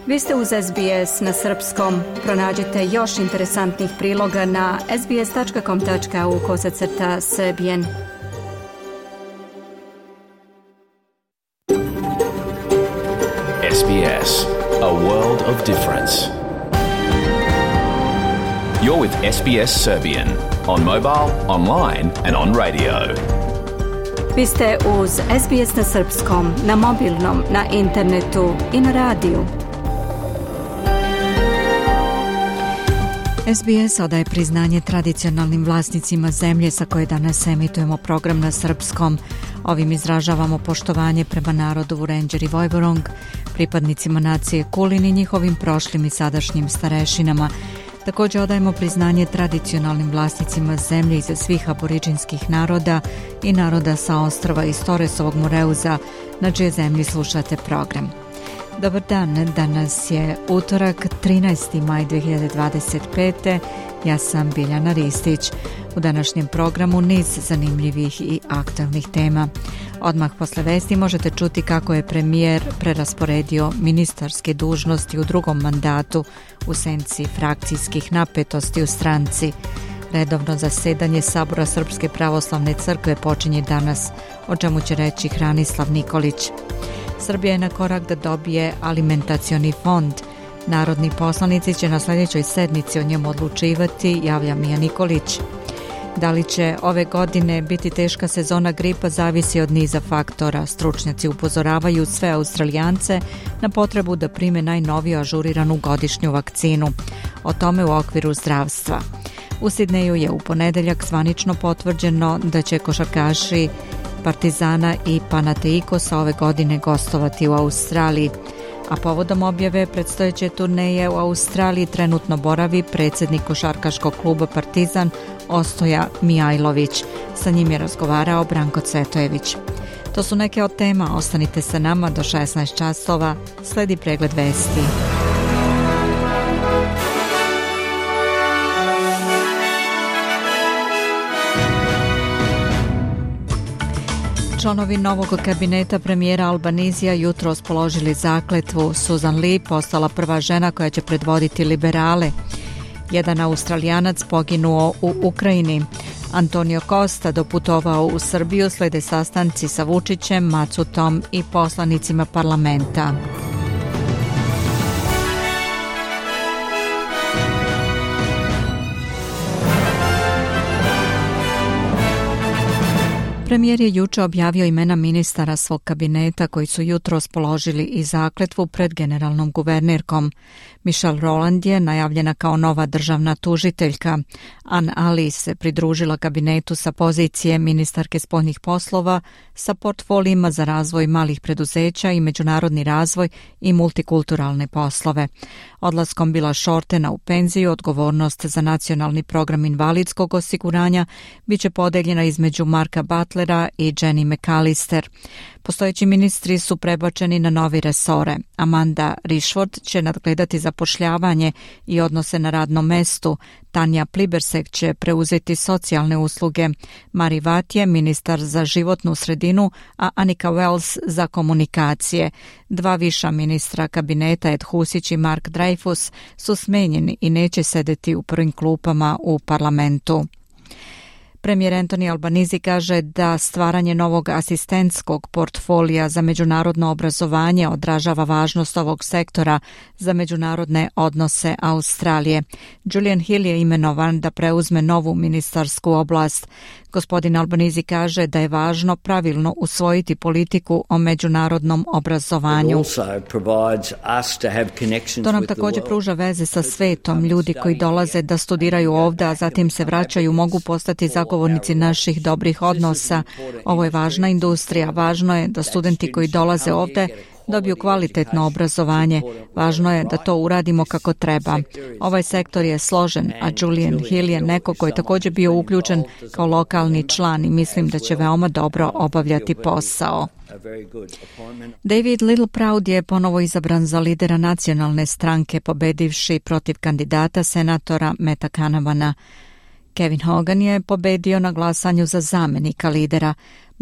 Vi ste uz SBS na srpskom. Pronađite još interesantnih priloga na sbs.com.au/srbijen. SBS, a world of difference. You're with SBS Serbian on mobile, online and on radio. Vi ste uz SBS na srpskom, na mobilnom, na internetu i na radiju. SBS odaje priznanje tradicionalnim vlasnicima zemlje sa koje danas emitujemo program na srpskom. Ovim izražavamo poštovanje prema narodu Vurenđer i Vojvorong, pripadnicima nacije Kulin i njihovim prošlim i sadašnjim starešinama. Također odajemo priznanje tradicionalnim vlasnicima zemlje iza svih aboriđinskih naroda i naroda sa ostrva iz Torresovog Moreuza, na čije zemlji slušate program. Dobar dan, danas je utorak, 13. maj 2025. Ja sam Biljana Ristić. U današnjem programu niz zanimljivih i aktualnih tema. Odmah posle vesti možete čuti kako je premijer prerasporedio ministarske dužnosti u drugom mandatu u senci frakcijskih napetosti u stranci. Redovno zasedanje Sabora Srpske pravoslavne crkve počinje danas, o čemu će reći Hranislav Nikolić. Srbija je na korak da dobije alimentacioni fond. Narodni poslanici će na sljedećoj sednici o njemu odlučivati, javlja Mija Nikolić. Da li će ove godine biti teška sezona gripa zavisi od niza faktora. Stručnjaci upozoravaju sve Australijance na potrebu da prime najnoviju ažuriranu godišnju vakcinu. O tome u okviru zdravstva. U Sidneju je u ponedeljak zvanično potvrđeno da će košarkaši Partizana i Panathinaikosa ove godine gostovati u Australiji. A povodom objave predstojeće turneje u Australiji trenutno boravi predsjednik košarkaškog kluba Partizan Ostoja Mijajlović. Sa njim je razgovarao Branko Cvetojević. To su neke od tema, ostanite sa nama do 16 časova, sledi pregled vesti. Članovi novog kabineta premijera Albanizija jutros položili zakletvu. Susan Lee postala prva žena koja će predvoditi liberale. Jedan Australijanac poginuo u Ukrajini. Antonio Costa doputovao u Srbiju, slede sastanci sa Vučićem, Macutom i poslanicima parlamenta. Premijer je juče objavio imena ministara svog kabineta koji su jutros položili i zakletvu pred generalnom guvernerkom. Michelle Rowland je najavljena kao nova državna tužiteljka. Ann Alice se pridružila kabinetu sa pozicije ministarke spoljnih poslova sa portfolijima za razvoj malih preduzeća i međunarodni razvoj i multikulturalne poslove. Odlaskom Billa Shortena u penziju, odgovornost za nacionalni program invalidskog osiguranja biće podeljena između Marka Butlera i Jenny McAllister. Postojeći ministri su prebačeni na novi resore. Amanda Rishford će nadgledati zapošljavanje i odnose na radnom mestu. Tanja Plibersek će preuzeti socijalne usluge. Mari Vat je ministar za životnu sredinu, a Annika Wells za komunikacije. Dva viša ministra kabineta, Ed Husić i Mark Dreyfus, su smenjeni i neće sedeti u prvim klupama u parlamentu. Premijer Anthony Albanese kaže da stvaranje novog asistentskog portfolija za međunarodno obrazovanje odražava važnost ovog sektora za međunarodne odnose Australije. Julian Hill je imenovan da preuzme novu ministarsku oblast. Gospodin Albanese kaže da je važno pravilno usvojiti politiku o međunarodnom obrazovanju. To nam također pruža veze sa svetom. Ljudi koji dolaze da studiraju ovdje, a zatim se vraćaju, mogu postati zagovornici naših dobrih odnosa. Ovo je važna industrija. Važno je da studenti koji dolaze ovdje dobiju kvalitetno obrazovanje. Važno je da to uradimo kako treba. Ovaj sektor je složen, a Julian Hill je neko koji je također bio uključen kao lokalni član i mislim da će veoma dobro obavljati posao. David Littleproud je ponovo izabran za lidera nacionalne stranke, pobedivši protiv kandidata senatora Meta Canavana. Kevin Hogan je pobedio na glasanju za zamenika lidera.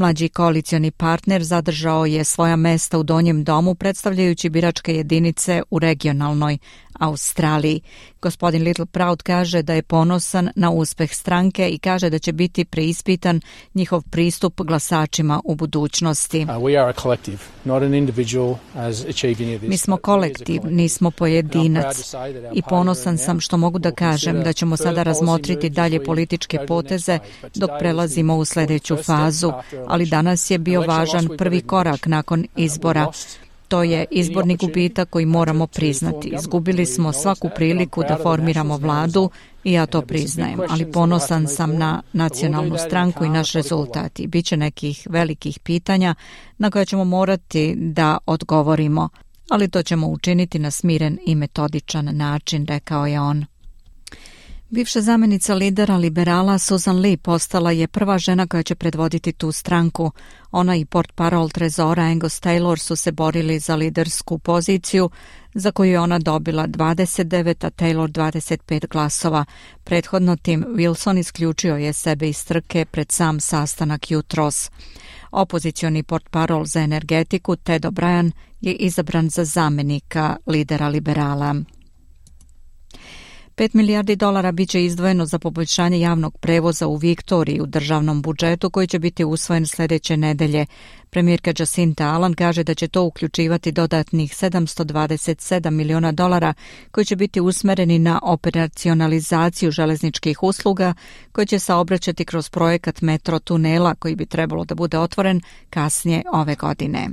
Mlađi koalicioni partner zadržao je svoja mesta u donjem domu predstavljajući biračke jedinice u regionalnoj Australiji. Gospodin Littleproud kaže da je ponosan na uspeh stranke i kaže da će biti preispitan njihov pristup glasačima u budućnosti. Mi smo kolektiv, nismo pojedinac i ponosan sam što mogu da kažem da ćemo sada razmotriti dalje političke poteze dok prelazimo u sljedeću fazu, ali danas je bio važan prvi korak nakon izbora. To je izborni gubitak koji moramo priznati. Izgubili smo svaku priliku da formiramo vladu i ja to priznajem, ali ponosan sam na nacionalnu stranku i naš rezultat. I bit će nekih velikih pitanja na koje ćemo morati da odgovorimo, ali to ćemo učiniti na smiren i metodičan način, rekao je on. Bivša zamjenica lidera liberala Susan Lee postala je prva žena koja će predvoditi tu stranku. Ona i portparol trezora Angus Taylor su se borili za lidersku poziciju za koju je ona dobila 29, a Taylor 25 glasova. Prethodno Tim Wilson isključio je sebe iz trke pred sam sastanak jutros. Opozicioni portparol za energetiku Ted O'Brien je izabran za zamjenika lidera liberala. $5 milijardi bit će izdvojeno za poboljšanje javnog prevoza u Viktoriji u državnom budžetu koji će biti usvojen sljedeće nedelje. Premijerka Jacinta Allen kaže da će to uključivati dodatnih $727 miliona koji će biti usmereni na operacionalizaciju železničkih usluga koji će saobraćati kroz projekat metro tunela koji bi trebalo da bude otvoren kasnije ove godine.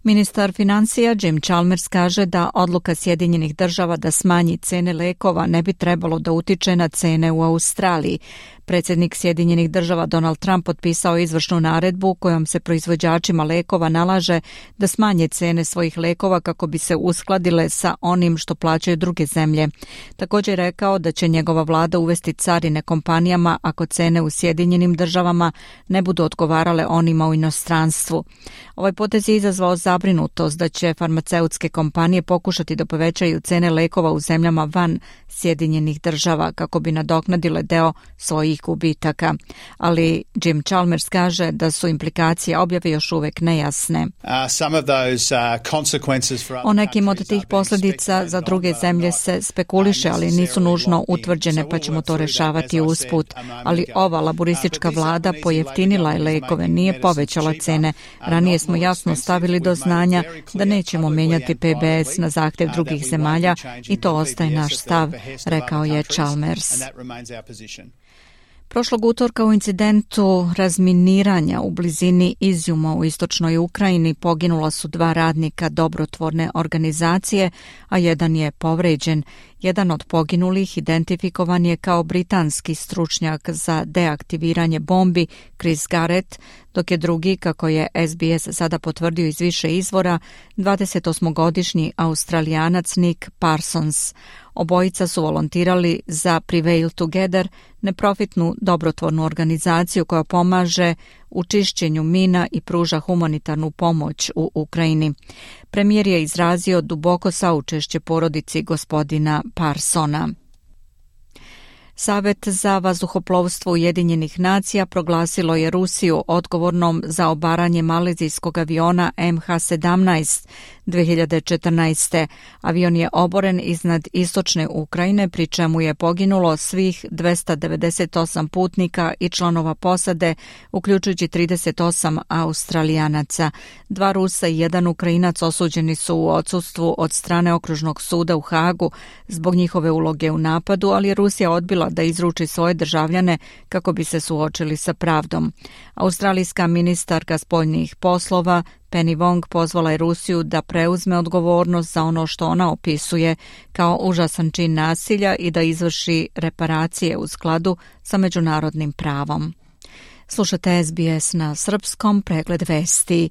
Ministar financija Jim Chalmers kaže da odluka Sjedinjenih država da smanji cene lekova ne bi trebalo da utiče na cene u Australiji. Predsjednik Sjedinjenih država Donald Trump potpisao izvršnu naredbu kojom se proizvođačima lekova nalaže da smanje cene svojih lekova kako bi se uskladile sa onim što plaćaju druge zemlje. Također je rekao da će njegova vlada uvesti carine kompanijama ako cene u Sjedinjenim državama ne budu odgovarale onima u inostranstvu. Ovaj potez je izazvao zabrinutost da će farmaceutske kompanije pokušati da povećaju cene lekova u zemljama van Sjedinjenih država kako bi nadoknadile deo svojih gubitaka. Ali Jim Chalmers kaže da su implikacije objave još uvek nejasne. O nekim od tih posljedica za druge zemlje se spekuliše, ali nisu nužno utvrđene, pa ćemo to rešavati usput. Ali ova laboristička vlada pojeftinila je lekove, nije povećala cene. Ranije smo jasno stavili do znanja da nećemo menjati PBS na zahtjev drugih zemalja i to ostaje naš stav, rekao je Chalmers. Prošlog utorka u incidentu razminiranja u blizini Izjuma u istočnoj Ukrajini poginula su 2 radnika dobrotvorne organizacije, a jedan je povređen. Jedan od poginulih identifikovan je kao britanski stručnjak za deaktiviranje bombi Chris Garrett, dok je drugi, kako je SBS sada potvrdio iz više izvora, 28-godišnji Australijanac Nick Parsons. Obojica su volontirali za Prevail Together, neprofitnu dobrotvornu organizaciju koja pomaže u čišćenju mina i pruža humanitarnu pomoć u Ukrajini. Premijer je izrazio duboko saučešće porodici gospodina Parsona. Savet za vazduhoplovstvo Ujedinjenih nacija proglasilo je Rusiju odgovornom za obaranje malezijskog aviona MH17 2014. Avion je oboren iznad istočne Ukrajine, pri čemu je poginulo svih 298 putnika i članova posade, uključujući 38 Australijanaca. 2 Rusa i 1 Ukrajinac osuđeni su u odsustvu od strane okružnog suda u Hagu zbog njihove uloge u napadu, ali je Rusija odbila da izruči svoje državljane kako bi se suočili sa pravdom. Australijska ministarka spoljnih poslova Penny Wong pozvala je Rusiju da preuzme odgovornost za ono što ona opisuje kao užasan čin nasilja i da izvrši reparacije u skladu sa međunarodnim pravom. Slušate SBS na srpskom, pregled vesti.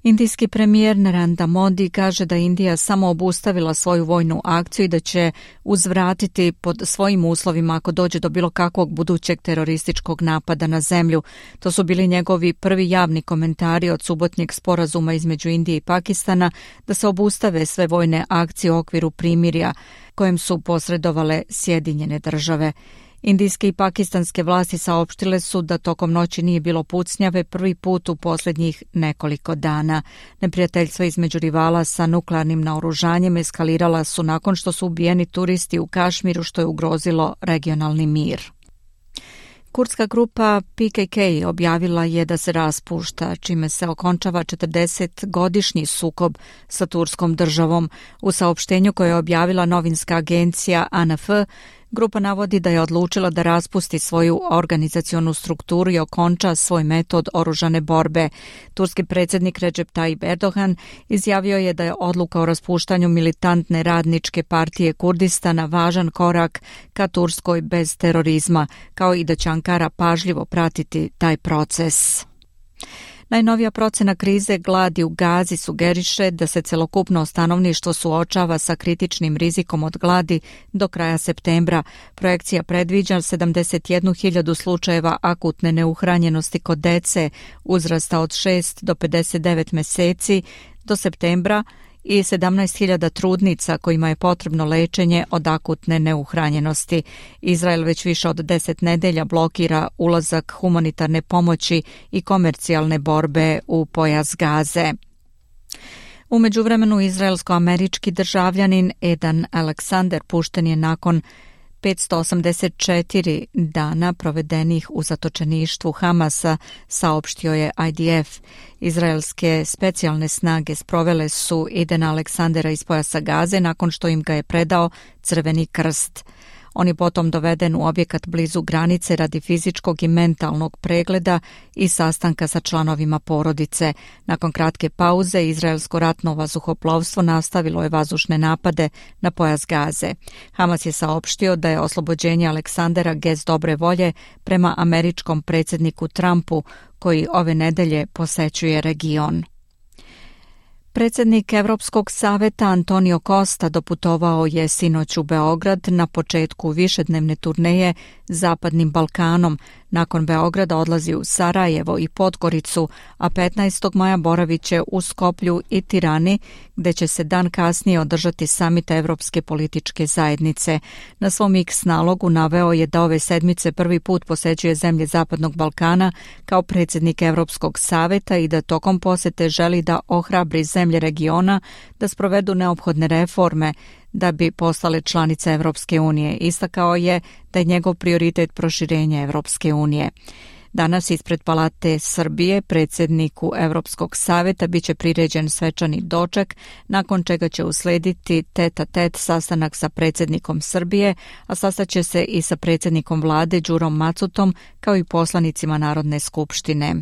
Indijski premijer Narendra Modi kaže da Indija samo obustavila svoju vojnu akciju i da će uzvratiti pod svojim uslovima ako dođe do bilo kakvog budućeg terorističkog napada na zemlju. To su bili njegovi prvi javni komentari od subotnjeg sporazuma između Indije i Pakistana da se obustave sve vojne akcije u okviru primirja kojem su posredovale Sjedinjene države. Indijske i pakistanske vlasti saopštile su da tokom noći nije bilo pucnjave prvi put u posljednjih nekoliko dana. Neprijateljstva između rivala sa nuklearnim naoružanjem eskalirala su nakon što su ubijeni turisti u Kašmiru, što je ugrozilo regionalni mir. Kurdska grupa PKK objavila je da se raspušta, čime se okončava 40-godišnji sukob sa turskom državom. U saopštenju koje je objavila novinska agencija ANF, grupa navodi da je odlučila da raspusti svoju organizacionu strukturu i okonča svoj metod oružane borbe. Turski predsjednik Recep Tayyip Erdogan izjavio je da je odluka o raspuštanju militantne radničke partije Kurdistana važan korak ka Turskoj bez terorizma, kao i da će Ankara pažljivo pratiti taj proces. Najnovija procena krize gladi u Gazi sugeriše da se celokupno stanovništvo suočava sa kritičnim rizikom od gladi do kraja septembra. Projekcija predviđa 71.000 slučajeva akutne neuhranjenosti kod dece uzrasta od 6 do 59 meseci do septembra i 17.000 trudnica kojima je potrebno lečenje od akutne neuhranjenosti. Izrael već više od 10 nedelja blokira ulazak humanitarne pomoći i komercijalne borbe u pojas Gaze. U međuvremenu izraelsko-američki državljanin Edan Alexander pušten je nakon 584 dana provedenih u zatočeništvu Hamasa, saopštio je IDF. Izraelske specijalne snage sprovele su Edana Aleksandera iz pojasa Gaze nakon što im ga je predao Crveni krst. On je potom doveden u objekat blizu granice radi fizičkog i mentalnog pregleda i sastanka sa članovima porodice. Nakon kratke pauze, izraelsko ratno vazduhoplovstvo nastavilo je vazdušne napade na pojas Gaze. Hamas je saopštio da je oslobođenje Aleksandera gest dobre volje prema američkom predsjedniku Trumpu, koji ove nedelje posećuje region. Predsjednik Europskog saveta Antonio Costa doputovao je sinoć u Beograd na početku višednevne turneje Zapadnim Balkanom. Nakon Beograda odlazi u Sarajevo i Podgoricu, a 15. maja boravit će u Skoplju i Tirani, gde će se dan kasnije održati samit Evropske političke zajednice. Na svom X nalogu naveo je da ove sedmice prvi put posećuje zemlje Zapadnog Balkana kao predsjednik Europskog saveta i da tokom posete želi da ohrabri zemlje regiona da sprovedu neophodne reforme da bi postale članice Evropske unije. Istakao je da je njegov prioritet proširenje Evropske unije. Danas ispred Palate Srbije predsjedniku Europskog saveta biće priređen svečani doček, nakon čega će uslediti tet-a-tet sastanak sa predsjednikom Srbije, a sastaće se i sa predsjednikom vlade Đurom Macutom kao i poslanicima Narodne skupštine.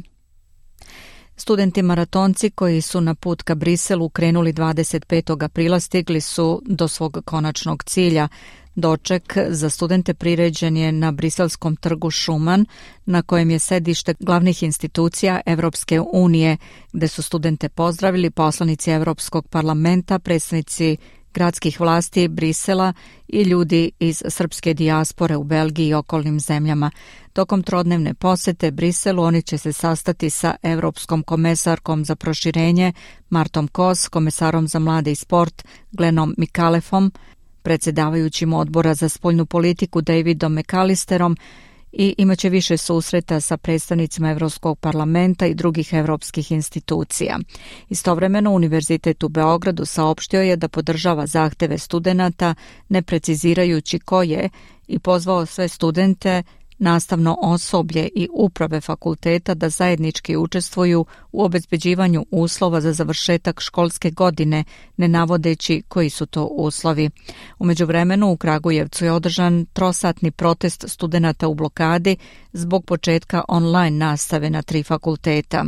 Studenti maratonci koji su na put ka Briselu krenuli 25. aprila stigli su do svog konačnog cilja. Doček za studente priređen je na briselskom trgu Šuman, na kojem je sedište glavnih institucija Evropske unije, gde su studente pozdravili poslanici Evropskog parlamenta, predstavnici gradskih vlasti Brisela i ljudi iz srpske dijaspore u Belgiji i okolnim zemljama. Tokom trodnevne posete Briselu oni će se sastati sa Evropskom komesarkom za proširenje Martom Kos, komesarom za mlade i sport Glenom Mikalefom, predsjedavajućim odbora za spoljnu politiku Davidom McAllisterom i imaće više susreta sa predstavnicima Evropskog parlamenta i drugih evropskih institucija. Istovremeno, Univerzitet u Beogradu saopštio je da podržava zahteve studenata, ne precizirajući koje, i pozvao sve studente, nastavno osoblje i uprave fakulteta da zajednički učestvuju u obezbeđivanju uslova za završetak školske godine, ne navodeći koji su to uslovi. U međuvremenu u Kragujevcu je održan trosatni protest studenata u blokadi zbog početka online nastave na 3 fakulteta.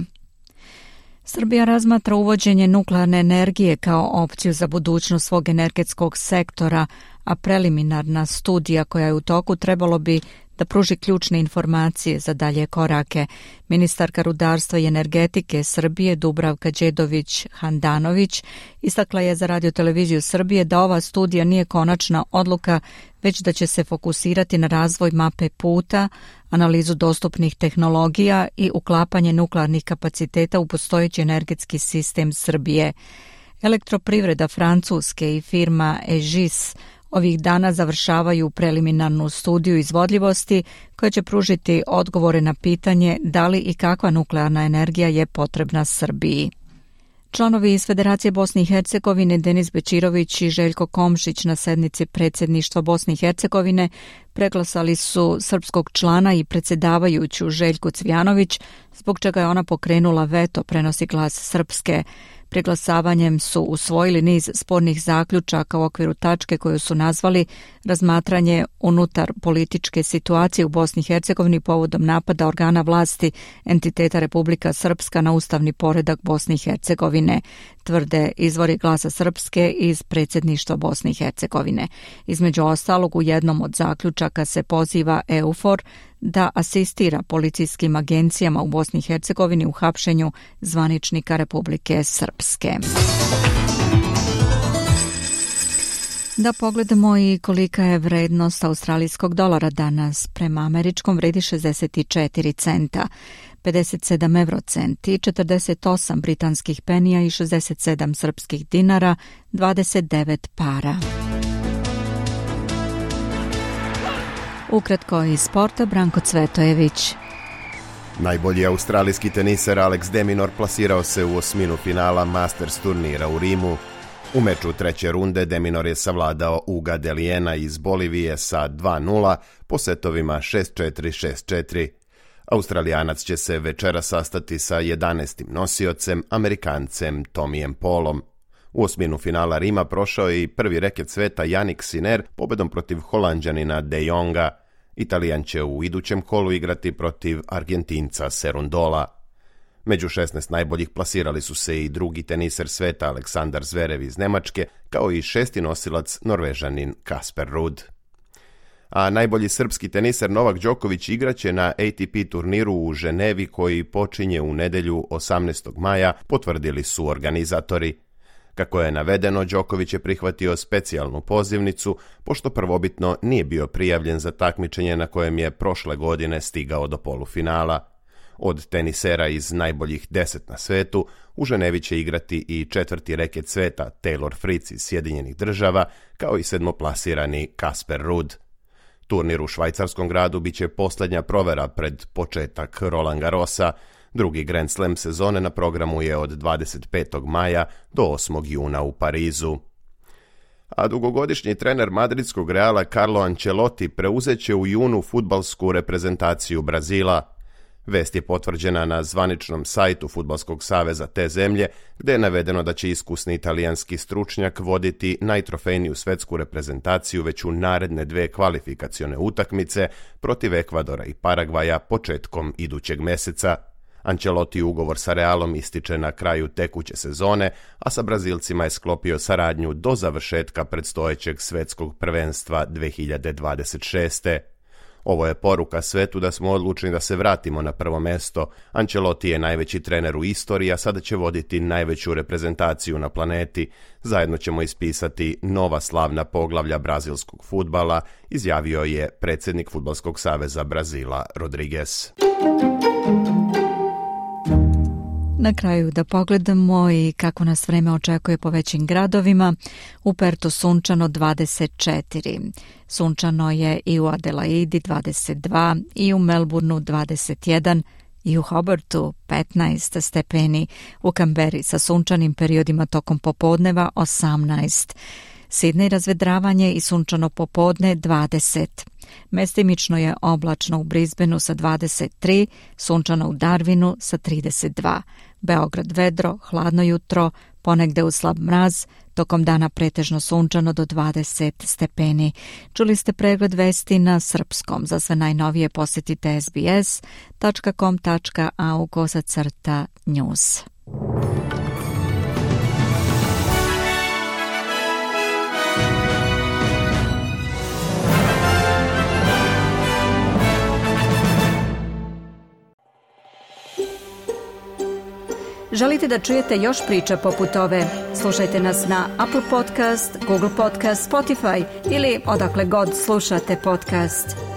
Srbija razmatra uvođenje nuklearne energije kao opciju za budućnost svog energetskog sektora, a preliminarna studija koja je u toku trebalo bi da pruži ključne informacije za dalje korake. Ministarka rudarstva i energetike Srbije Dubravka Đedović-Handanović istakla je za Radio-televiziju Srbije da ova studija nije konačna odluka, već da će se fokusirati na razvoj mape puta, analizu dostupnih tehnologija i uklapanje nuklearnih kapaciteta u postojeći energetski sistem Srbije. Elektroprivreda Francuske i firma Egis ovih dana završavaju preliminarnu studiju izvodljivosti koja će pružiti odgovore na pitanje da li i kakva nuklearna energija je potrebna Srbiji. Članovi iz Federacije Bosne i Hercegovine Denis Bećirović i Željko Komšić na sednici predsjedništva Bosne i Hercegovine preglasali su srpskog člana i predsjedavajuću Željku Cvijanović, zbog čega je ona pokrenula veto, prenosi Glas Srpske. Preglasavanjem su usvojili niz spornih zaključaka u okviru tačke koju su nazvali razmatranje unutar političke situacije u Bosni i Hercegovini povodom napada organa vlasti entiteta Republika Srpska na ustavni poredak Bosne i Hercegovine, tvrde izvori Glasa Srpske iz predsjedništva Bosne i Hercegovine. Između ostalog, u jednom od zaključaka se poziva EUFOR da asistira policijskim agencijama u Bosni i Hercegovini u hapšenju zvaničnika Republike Srpske. Da pogledamo i kolika je vrednost australijskog dolara danas. Prema američkom vredi 64 centa, 57 eurocenti, 48 britanskih penija i 67 srpskih dinara, 29 para. Ukratko iz sporta, Branko Cvetojević. Najbolji australijski teniser Alex de Minaur plasirao se u osminu finala Masters turnira u Rimu. U meču treće runde de Minaur je savladao Uga Delijena iz Bolivije sa 2-0 po setovima 6-4, 6-4. Australijanac će se večera sastati sa 11. nosiocem, Amerikancem Tomijem Paulom. U osminu finala Rima prošao je i prvi reket sveta Jannik Sinner pobedom protiv Holanđanina De Jonga. Italijan će u idućem kolu igrati protiv Argentinca Serundola. Među 16 najboljih plasirali su se i drugi teniser sveta Aleksandar Zverev iz Nemačke, kao i šesti nosilac Norvežanin Kasper Ruud. A najbolji srpski teniser Novak Đoković igraće na ATP turniru u Ženevi koji počinje u nedjelju 18. maja, potvrdili su organizatori. Kako je navedeno, Đoković je prihvatio specijalnu pozivnicu, pošto prvobitno nije bio prijavljen za takmičenje na kojem je prošle godine stigao do polufinala. Od tenisera iz najboljih 10 na svetu, u Ženevi će igrati i četvrti reket sveta Taylor Fritz iz Sjedinjenih Država, kao i sedmoplasirani Kasper Ruud. Turnir u švajcarskom gradu bit će posljednja provera pred početak Roland Garrosa. Drugi Grand Slam sezone na programu je od 25. maja do 8. juna u Parizu. A dugogodišnji trener madridskog Reala Carlo Ancelotti preuzet će u junu fudbalsku reprezentaciju Brazila. Vest je potvrđena na zvaničnom sajtu Fudbalskog saveza te zemlje, gdje je navedeno da će iskusni italijanski stručnjak voditi najtrofejniju svetsku reprezentaciju već u naredne 2 kvalifikacione utakmice protiv Ekvadora i Paragvaja početkom idućeg mjeseca. Ancelotti ugovor sa Realom ističe na kraju tekuće sezone, a sa Brazilcima je sklopio saradnju do završetka predstojećeg svetskog prvenstva 2026. Ovo je poruka svetu da smo odlučni da se vratimo na prvo mjesto. Ancelotti je najveći trener u istoriji, a sada će voditi najveću reprezentaciju na planeti. Zajedno ćemo ispisati nova slavna poglavlja brazilskog fudbala, izjavio je predsjednik Fudbalskog saveza Brazila Rodrigues. Na kraju da pogledamo i kako nas vreme očekuje po većim gradovima. U Pertu sunčano 24, sunčano je i u Adelaidi 22, i u Melbourneu 21, i u Hobartu 15 stepeni, u Kamberi sa sunčanim periodima tokom popodneva 18, Sidney razvedravanje i sunčano popodne 20. Mestimično je oblačno u Brisbaneu sa 23, sunčano u Darwinu sa 32. Beograd vedro, hladno jutro, ponegde uz slab mraz, tokom dana pretežno sunčano do 20 stepeni. Čuli ste pregled vesti na srpskom. Za sve najnovije posjetite sbs.com.au/news. Želite da čujete još priča poput ove? Slušajte nas na Apple Podcast, Google Podcast, Spotify ili odakle god slušate podcast.